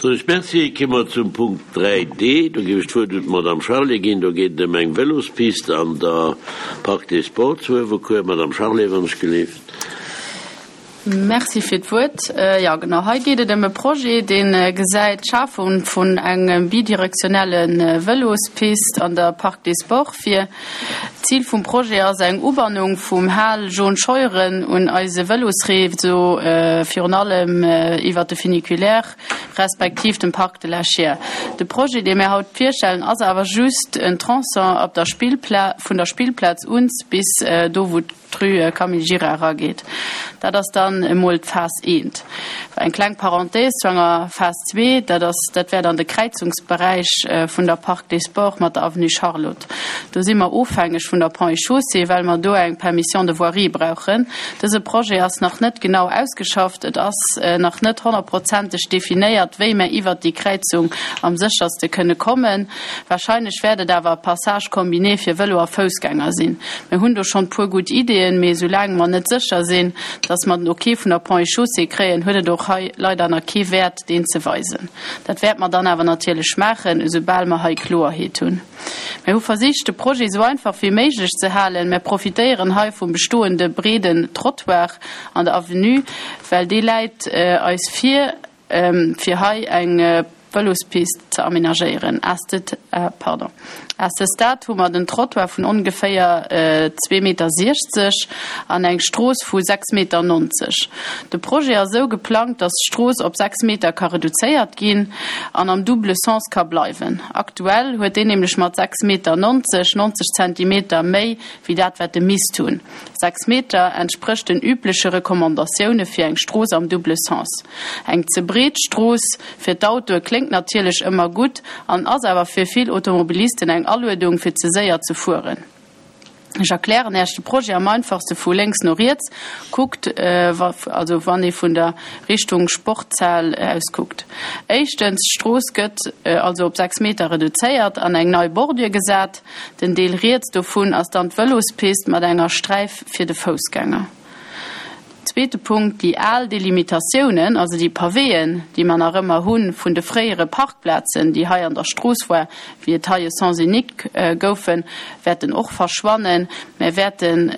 Soen ech Merci. Komme mer zum Punkt 3D. Do géif ech d'Wuert un d'Madame Charlé ginn. Do geet et ëm eng Vëlospist an der Parc des Sports zu Uewerkuer. Madame Charlé, wann ech gelift. Merci fir d'Wuert. Jo, genau, hei geet et ëm e Projet, dee gesäit d'Schafung vun engem bidirektionelle Vëlospist an der Parc des Sports vir. D'Zil vum Projet ass eng Ubannung vum Hal Jaune Scheuren un eise Vëlosreseau, virun allem iwwert de Funiculaire respektiv dem Parc de la Chiers. De Projet, dee mir haut virstellen, ass awer just en Tronçon ab der Spillpla vun der Spillplaz uns bis do, wou d'Rue Camille Gira erageet. Dat ass dann emol d'Phas I. Eng kleng Parenthèse zu enger Phas ii, dat ass, dat wär dann de Kräizungsberäich vun der Parc des Sports mat der Avenue Charlotte. Do si mer ofhängeg vun der Ponts et Chaussées, well mer do eng Permission de voirie brauchen. Dëse Projet ass nach net genau ausgeschafft. Et ass nach net honnertprozenteg definéiert, wéi mer iwwert déi Kräizung am sécherste kënne kommen. Wahrscheinlech wäert et awer e Passage combiné fir Vëlo a Foussgänger sinn. Mir hunn do schonn puer gutt Ideeën, mee esoulaang mer net sécher sinn, dass mer den Ok vun der Ponts et Chaussées kréien, huet et och hei leider nach kee Wäert, deen ze weisen. Dat wäert mer dann awer natierlech maachen, esoubal mer hei Kloerheet hunn. Mir hu versicht, de Projet esou einfach wéi méiglech ze halen. Mer profitéieren hei vum bestoende breeden Trottoir an der Avenue, well dee läit eis vir. fir hei eng Vëlospist ze amenagéieren. À ce stade hu mer den Trottoir vun ongeféier 2,60 Meter an eng Strooss vu 6,90 Meter. De Projet ass esou geplangt, datt d'Strooss op 6 Meter ka reduzéiert ginn an am double sens ka bleiwen. Aktuell huet deen nämlech mat 6,90 Meter 90 Zentimeter méi wéi dat wat e misst hunn. 6 Meter entsprécht den übleche Recommandatioune fir eng Strooss am double sens. Eng ze breet Strooss fir d'Autoe kléngt natierlech ëmmer gutt an ass awer fir vill Automobilisten eng Aluedung fir ze séier ze fueren. Ech erklären Äech de Projet am einfachste vu lénks no riets kuckt, also wann ee vun der Richtung Sportshal aus kuckt. Éischtens, d'Strooss gëtt also op 6 Meter reduzéiert an eng nei Bordure gesat. Den Deel riets dovun ass dann d'Vëlospist mat enger Sträif fir de Foussgänger. Zweete Punkt, déi al Delimitatiounen, also déi Pavéen, déi mer nach ëmmer hu vun de fréiere Parkplazen, déi hei an der Strooss war, wéi et hei e Sens unique goufen, wäerten och verschwannen. Mer wäerten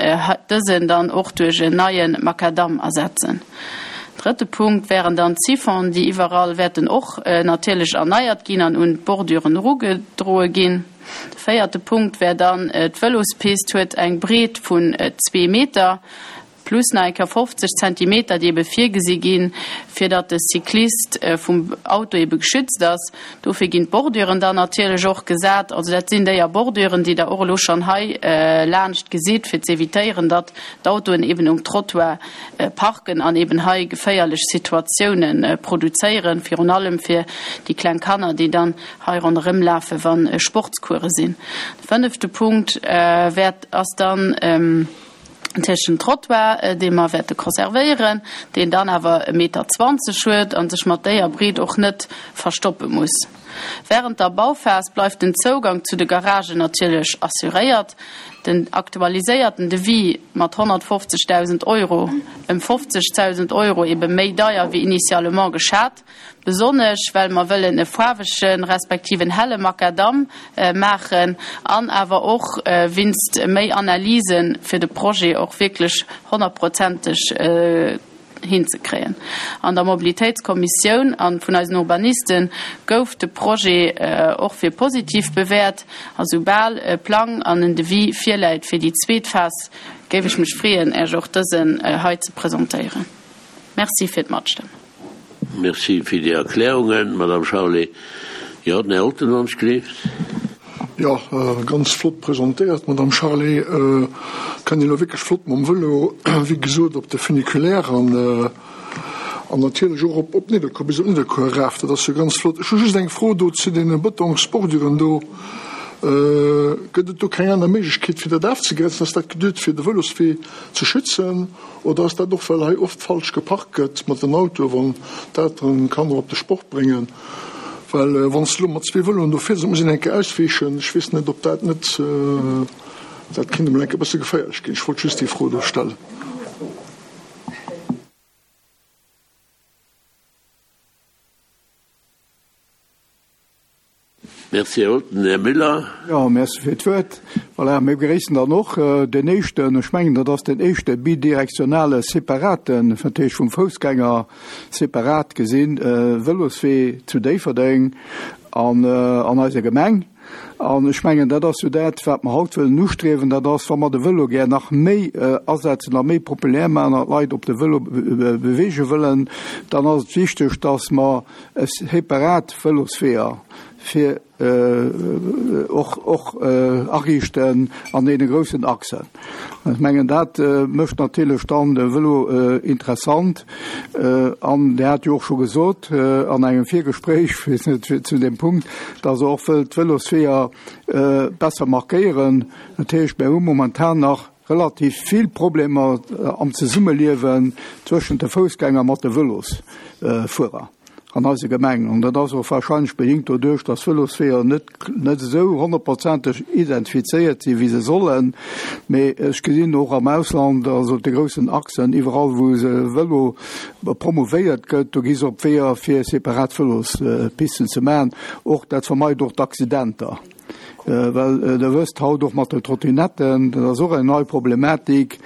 dësen dann och duerch en neie Macadam ersetzen. Drëtte Punkt wären dann d'Siphon, déi iwwerall wäerten och natierlech erneiert ginn an un d'Borduren erugedroe ginn. De véierte Punkt wär dann, d'Vëlospist huet eng Breet vun zwee Meter, plus nach eng Kéier 50 Zentimeter, déi ebe virgesi ginn, fir datt de Cyclist vum Auto ebe geschützt ass. Dofir ginn d'Borduren dann natierlech och gesat. Also dat sinn déier Borduren, déi Der och elo schonn hei laanscht gesitt, fir z'evitéieren, datt d'Autoen eben um Trottoir parken an eben hei geféierlech Situatiounen produzéieren, virun allem fir déi kleng Kanner, déi dann hei ronderëm lafen, wa Sportscourse sinn. De fënnefte Punkt wäert, ass dann natierlech den Trottoir, dee mer wäerte conservéieren, deen dann awer e Meter 20 huet a sech mat déier Breet och net verstoppe muss. Während der Bauphas bleift den Zougang zu de Garagen natierlech assuréiert. Den aktualiséierten Devis mat 150.000 Euro, ëm 50.000 Euro ebe méi deier wéi initialement geschat, Besonnesch well mer wëllen e faarwegen, respektiv en helle Macadam maachen an awer och winst méi Analysen, fir de Projet och wierklech honnertprozenteg hinzekréien. An der Mobilitéitskommissioun a vun eisen Urbaniste gouf de Projet och fir positiv bewäert. A soubal e Plang an en Devis virläit fir déi zweet Phas, géif ech mech freeën, Äech och dësen hei ze presentéieren. Merci fir d'Matstëmmen. Merci fir déi Erklärungen, Madame Charlé. Jo, den Här Olten, wann ech gleeft. Jo, ganz flott presentéiert, Madame Charlé. Kann een elo wierklech flott mam Vëlo, wéi gesot, op de Funiculaire an an natierlech och op op Nidderkuer, bis op Nidderkuer eraf. Dat ass jo ganz flott. Ech hu just eng Fro do zu deene Bëtongsborduren do. Gëtt et do keng aner Méiglechkeet, fir dat afzegrenzen? Ass dat geduet, fir de Vëloswee ze schützen? Oder ass dat och well hei oft falsch geparkt gëtt mat den Autoe wann d'Elteren d'Kanner op de Sport bréngen? Well wann s de elo mat zwee Vëloen do fiers, da muss een eng Kéier ausweechen. Ech weess net ob dat net, dat kéint emol eng Kéier e bësse geféierlech ginn. Ech wollt just déi Fro do stellen. Merci, Här Olten. Här Müller. Jo, merci fir d'Wuert. Voilà, mir begréissen dann och deen éischten, ech mengen, dat ass deen éischte bidirektionale separaten, dat heescht vum Foussgänger separat gesinn, Vëloswee zu Déifferdeng an an eiser Gemeng. An ech mengen, dat ass jo dat, wat mer haut wëllen ustriewen, dat ass, wa mer de Vëlo gär nach méi asetzen a méi populär maachen an d'Leit op de Vëlo beweege wëllen, dann ass et wichteg, dass mer e separat Vëlosweeër fir och och ariichten an deene groussen Achsen. Ech mengen, dat mécht natierlech dann de Vëlo interessant. An Dir hat jo och scho gesot an engem Virgespréich zu deem Punkt, dass Der och wëllt d'Vëlosweeër besser markéieren. Dat heescht, mir hu momentan nach relativ vill Problemer am Zesummeliewen zwëschent de Foussgänger mat de Vëlosfuerer an eiser Gemeng. An dat ass och wahrscheinlech bedingt doduerch, dass d'Vëlosweeër net net esou honnertprozenteg identifizéiert sinn, wéi se sollen. Mee ech gesinn och am Ausland, also op de groussen Achsen, iwwerall wou se Vëlo promouvéiert gëtt, do gi se op Weeër fir separat Vëlospisten ze maachen. Och dat vermeit och d'Accidenter. Well Der wësst haut och mat de Trottinetten, dat ass och eng nei Problematik,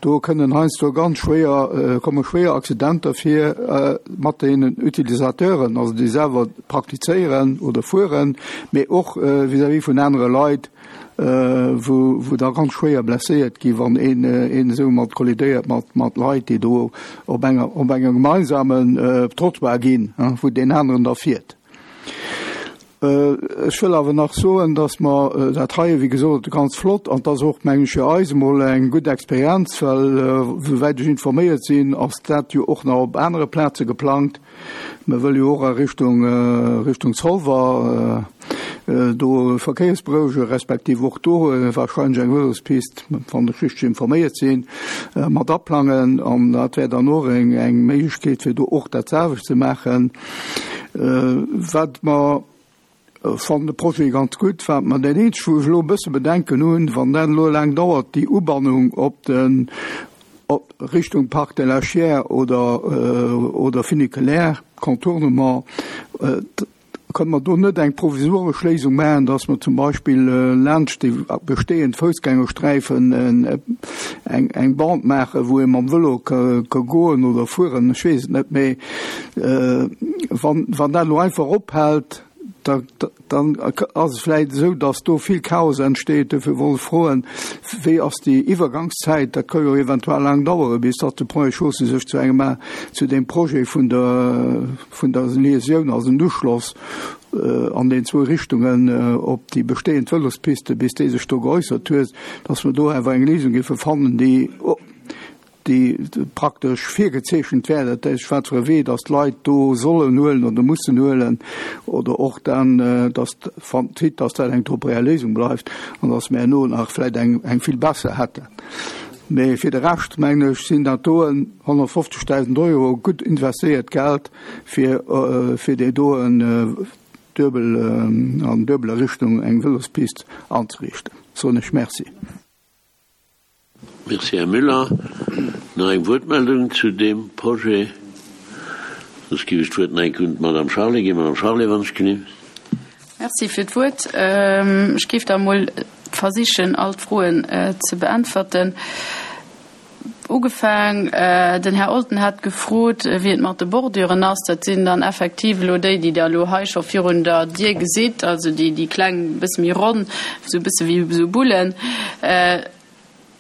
do kënnen heiansdo ganz schwéier, komme schwéier Accidenter vir mat deenen Utilisateuren, also déi selwer praktizéieren oder fueren, mee och vis-à-vis vun anere Leit, wou, wou da ganz schwéier blesséiert gi wann een, een esou mat kollidéiert mat, mat Leit, déi do op enger, op engem gemeinsamen Trottoir ginn, wou deen aneren da fiert. Ech wëll awer nach soen, dass mer dat hei, wéi gesot, ganz flott, an et ass och, meng ech, fir eis emol eng gutt Experienz, well souwäit ech informéiert sinn, ass dat jo och nach op anere Plaze geplangt. Mer wëlle jo och a Richtung, Richtung Zolwer do verkéiersberouege respektiv och do wahrscheinlech eng Vëlospist, wann ech richteg informéiert sinn, mat aplangen. An dat wär dann och eng, eng Méiglechkeet, fir do och dat selwecht ze maachen. Wat mer, fannen de Projet ganz gutt. Wat mer, dat eenzegt wou ech elo e bësse Bedenken hunn, wann dat elo laang dauert, déi Ubannung op den, op Richtung Parc de la Chiers oder, oder Funiculaire, Contournement, kënne mer do net eng provisoresch Léisung maachen, dass mer zum Beispill laanscht déi bestehend Foussgängersträifen eng, eng Bande maachen, wou ee mam Vëlo ka goen oder fueren, ech weess et net, mee Wann, wann dat elo einfach ophält, da, dann ass et vläicht esou, datt do vill Chaos entsteet. Dofir wollt ech froen, Wéi ass déi Iwwergangszäit? Dat ka jo eventuell laang daueren, bis datt de Ponts et Chaussées sech zu engem, zu deem Projet vun der, vun der Liaisioun, also den Uschloss an den zwou Richtungen op déi bestehend Vëlospiste, bis dee sech do geäussert huet, datt mer do awer eng Léisung géife fannen, déi, déi praktesch virgezeechent wär, dat heescht wat fir e Wee datt d'Leit do sollen huelen oder mussen huelen, oder och dann, datt, quitte datt dat eng temporär Léisung bleift, an datt mir herno nach vläicht eng, eng vill besser hätten. Mee fir de Rescht, mengen ech, sinn dat doen 150.000 Euro gutt investéiert Geld, fir, fir déi doen duebel, an duebeler Richtung eng Vëlospist anzeriichten. Soen ech Merci. Merci, Här Müller. Nach eng Wuertmeldung zu deem Projet? Soss géif ech d'Wuert nach eng Kéier un d'Madame Charlé ginn. Madame Charlé, wann ech genee. Merci fir d'Wuert. Ech géif da emol versichen, all d'Froen ze beäntwerten. Ugefaang, den Här Olten hat gefrot, wéi et mat de Borduren ass. Dat sinn dann effektiv elo déi, déi Der elo hei scho virun der Dier gesitt, also déi, déi kleng, e bësse méi ronn, esou e bësse wéi esou Bullen.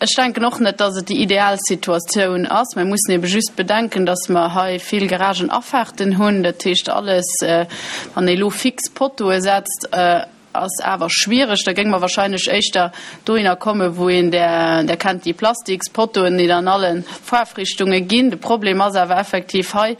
Ech denken och net, dass et déi ideal Situatioun ass. Mer mussen ebe just bedenken, dass mer hei vill Garagenafaarten hunn. Dat heescht, alles, wann ee elo fix Pottoe setzt, Ass awer schwiereg. Da géinge mer wahrscheinlech éischter dohinner kommen, wou een, där, Der kennt déi Plastikspotoen, déi an alle Faarfrichtunge ginn. De Problem ass awer effektiv hei,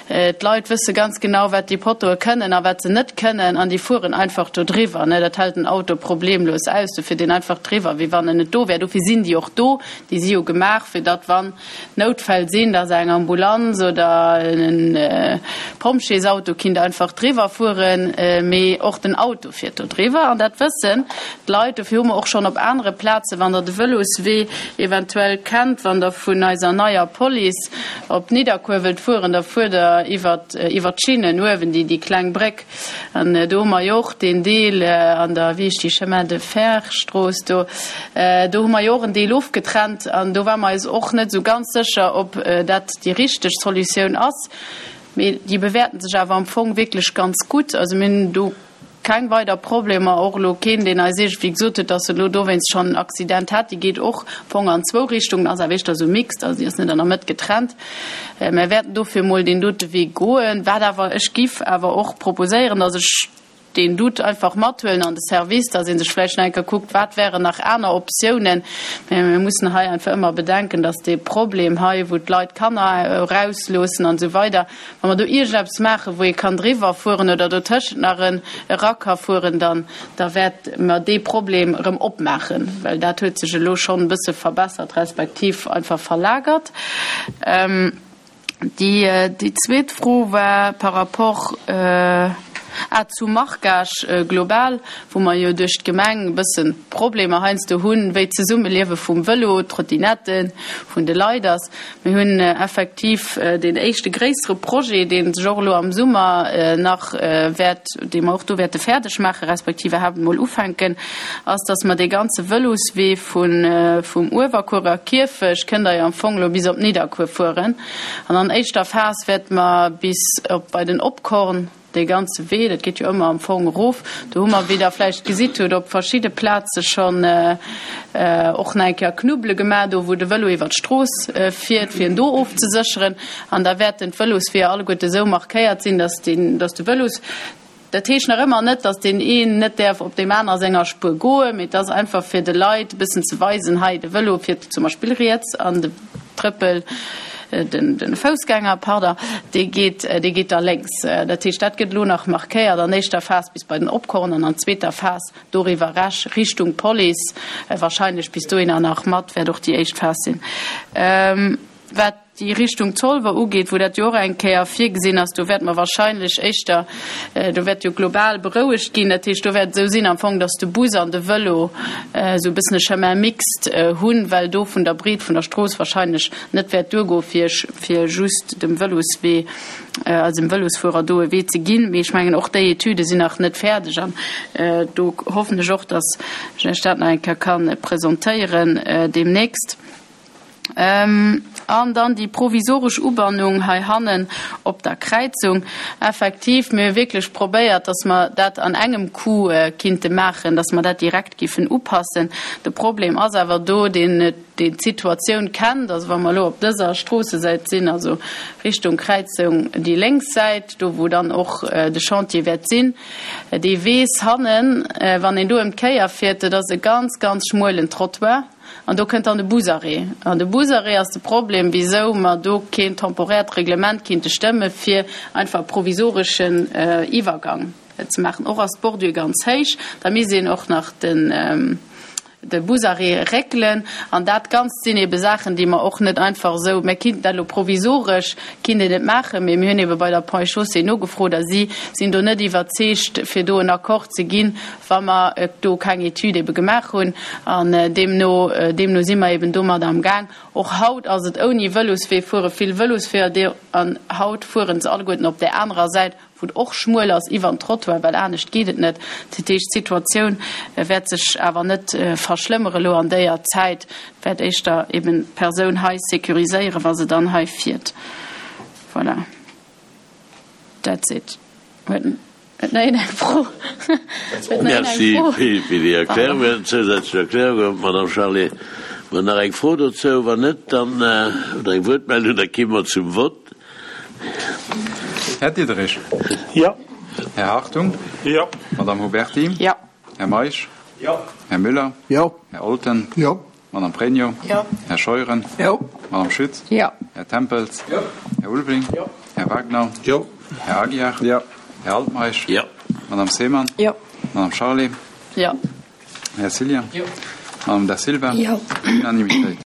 d'Leit wësse ganz genau, wat déi Pottoe kënnen a wat se net kënnen, an déi fueren einfach do driwwer. Dat hält den Auto problemlos aus, do fiert een einfach driwwer, wéi wann en net do wär. Dofir sinn déi och do. Déi si jo gemaach, fir datt, wann Noutfäll sinn, dass eng Ambulanz oder e Pompjeesauto kinnt einfach driwwer fueren, mee och den Auto fiert do driwwer. driwwer. An dat wëssen d'Leit. Dofir hu mer och schonn op anere Plazen, wann Der de Vëloswee eventuell kennt, wann Der vun eiser neier Police op Nidderkuer wëllt fueren, da fuert Der iwwert iwwert d'Schinnen uewen, déi déi kleng Bréck. An do hu mer jo och deen Deel an der, wéi heescht déi, Chemin de Fer Strooss do, do hu mer jo och en Deel ofgetrennt. An do ware mer eis och net esou ganz sécher, ob dat déi richteg Solutioun ass. Mee déi bewäerten sech awer am Fong wierklech ganz gutt. Also mir hunn do keng weider Problemer, och elo keen, deen eis iergendwéi gesot huet, datt en elo dowéinst schonn en Accident hat. Déi geet och am Fong an zwou Richtungen, ass awer éischter esou mixed, also déi ass net an der Mëtt getrennt. Mir wäerten dofir emol deen dote Wee goen. Wat awer, ech giff awer och proposéieren, datt ech deen Doute einfach mathuelen an de Service, dass ee sech vläicht nach eng Kéier kuckt, wat wären nach aner Optiounen. Mä mir mussen hei einfach ëmmer bedenken, dass dee Problem hei, wou d'Leit d'Kanner erausloossen an esou weider, wa mer do iergendeppes maachen, wou ee kann driwwer fueren oder dotëschent nach en era ka fueren, dann da wäerte mer dee Problem erëm opmaachen, well dat huet sech elo schonn e bësse verbessert respektiv einfach verlagert. Déi zweet Fro war par rapport zum Marquage global, wou mer jo duerch d'Gemeng e bësse Problemer heiansdo hunn, wéi d'Zesummeliewe vum Vëlo, d'Trottinetten, vun de Leit ass. Mir hunn effektiv deen éischte gréissere Projet, dee sech och elo am Summer nach wäert, dee mer och do wäerte fäerdeg maache respektiv iwwerhaapt emol ufänken, ass, dass mer dee ganze Vëloswee vun vum Uewerkuerer Kierfecht kënnt Der jo am Fong elo bis op Nidderkuer fueren. An an éischter Phas wäerte mer bis op bei den Opkorn dee ganze Wee, dat geet jo ëmmer am Fong erof, do hu mer, wéi Der vläicht gesitt hutt, op verschidde Plaze schonn och nach eng Kéier Knubbele gemaach, do wou de Vëlo iwwer d'Strooss fiert, fir en do ofzesécheren. An da wäerten d'Vëlosweeër alleguerte esou markéiert sinn, dass den, dass de Vëlos, Dat heescht nach ëmmer net, datt deen een net däerf op deem aner senger Spuer goen, mee et ass einfach fir de Leit e bëssen ze weisen, hei de Vëlo fiert zum Beispill riets an de Trëppel, de Foussgänger, pardon, dee geet, dee geet da lénks. Dat heescht, dat gëtt elo nach markéiert an éischter Phas bis bei den Opkorn an an zweeter Phas doriwwer rech Richtung Police, wahrscheinlech bis dohinner nach mat, wäert och déi éischt Phas sinn. Wat déi Richtung Zolwer ugeet, wou dat jo och eng Kéier virgesinn ass, do wäerte mer wahrscheinlech éischter, do wäert jo global berouegt ginn, dat heescht, do wäert et esou sinn am Fong, datt de Bus an de Vëlo esou e bëssen e Chemin mixte hunn, well do vun der Breet vun der Strooss wahrscheinlech net wäert duergoe fir fir just dem Vëloswee, also dem Vëlosfuerer do e Wee ze ginn. Mee ech mengen, och déi Etüde sinn nach net fäerdeg an do hoffen ech och, datt ech Iech dat nach eng Kéier ka presentéieren deemnächst. An dann déi provisoresch Ubannung heihannen op der Kräizung. Effektiv, mir hu wierklech probéiert, dass mer dat an engem Coup kinnte maachen, dass mer dat direkt giffen upassen. De Problem ass awer do, deen deen d'Situatioun kennt, also wa mer elo op dëser Stroossesäit sinn, also Richtung Kräizung déi lénks Säit, do wou dann och de Chantier wäert sinn, dee weess hannen, wann een do ëm d'Kéier fiert, dat ass e ganz, ganz schmuelen Trottoir. An do kënnt dann de Busarrêt. An de Busarrêt ass de Problem, wisou mer do keen temporäert Reglement kinnte stëmme fir einfach e provisoreschen Iwwergang ze maachen. Och ass d'Bordure ganz héich. Da misst een och nach den de Busarrêt réckelen. An dat Ganzt sinn ebe Saachen, déi mer och net einfach esou, mir kinnten dat elo provisoresch kinnt een et maachen, mee mir hunn ebe bei der Ponts et Chaussées nogefrot a si sinn do net iwwerzeegt, fir do en Accord ze ginn, wa mer do keng Etüd ebe gemaach hunn. An deemno, deemno si mer eben domat am Gaang. Och haut ass et ouni Vëloswee, fuere vill Vëlosféier do an haut fuere se alleguerten op där anerer Säit, wou et och schmuel ass, iwwer den Trottoir, well anescht geet et net. Dat heescht, d'Situatioun wäert sech awer net verschlëmmere elo an déier Zäit, et wäert éischter eben d'Persoun hei sécuriséieren, wa se dann hei fiert. Voilà, that's it. Huet nach een eng Fro? Huet nach een eng Fro? Merci fir déi Erklärungen, zousätzlech Erklärungen, Madame Charlé. Huet nach eng Fro dozou? Wann net, dann, oder eng Wuertmeldung, da gi mer zum Vott. Här Diderich. Jo. Här Hartung. Jo. Madame Huberty. Jo. Här Meisch. Jo. Här Müller. Jo. Här Olten. Jo. Madame Pregno. Jo. Här Scheuren. Jo. Madame Schütz. Jo. Här Tempels. Jo. Här Ulveling. Jo. Här Wagner. Jo. Här Aguiar. Jo. Här Altmeisch. Jo. Madame Seemann. Jo. Madame Charlé. Jo. Här Cillien. Jo. Madame Da Silva. Jo. Unanimitéit.